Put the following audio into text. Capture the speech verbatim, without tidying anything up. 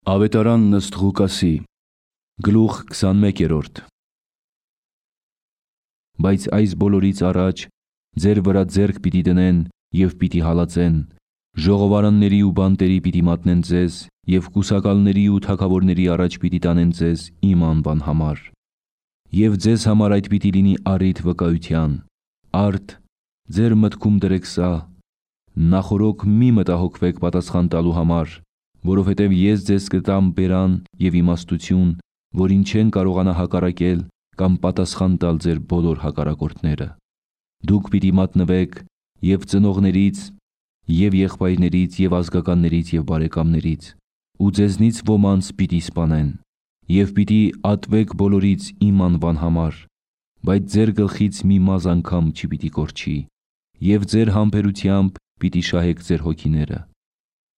Ավետարան ըստ Ղուկասի, գլուխ քսանմեկերորդ։ Բայց այս բոլորից առաջ ձեր վրա ձեռք պիտի դնեն և պիտի հալածեն, ժողովարանների ու բանտերի պիտի մատնեն ձեզ և կուսակալների ու թագավորների առաջ պիտի տանեն ձեզ իմ անվան համար։ Եվ ձեզ համար այդ պիտի լինի առիթ վկայության, արդ ձեր մտքում դրեք սա, նախօրոք մի մտահոգվեք պատասխան տալու համար, որովհետև ես ձեզ կտամ բերան և իմաստություն, որին չեն կարողանա հակառակել կամ պատասխան տալ ձեր բոլոր հակառակորդները։ Դուք պիտի մատնվեք և ծնողներից, և եղբայրներից, և ազգականներից, և բարեկամներից, ու ձեզնից ոմանց պիտի սպանեն, և պիտի ատվեք բոլորից իմ անվան համար, բայց ձեր գլխից մի մազ անգամ չպիտի կորչի, և ձեր համբերությամբ պիտի շահեք ձեր հոգիները։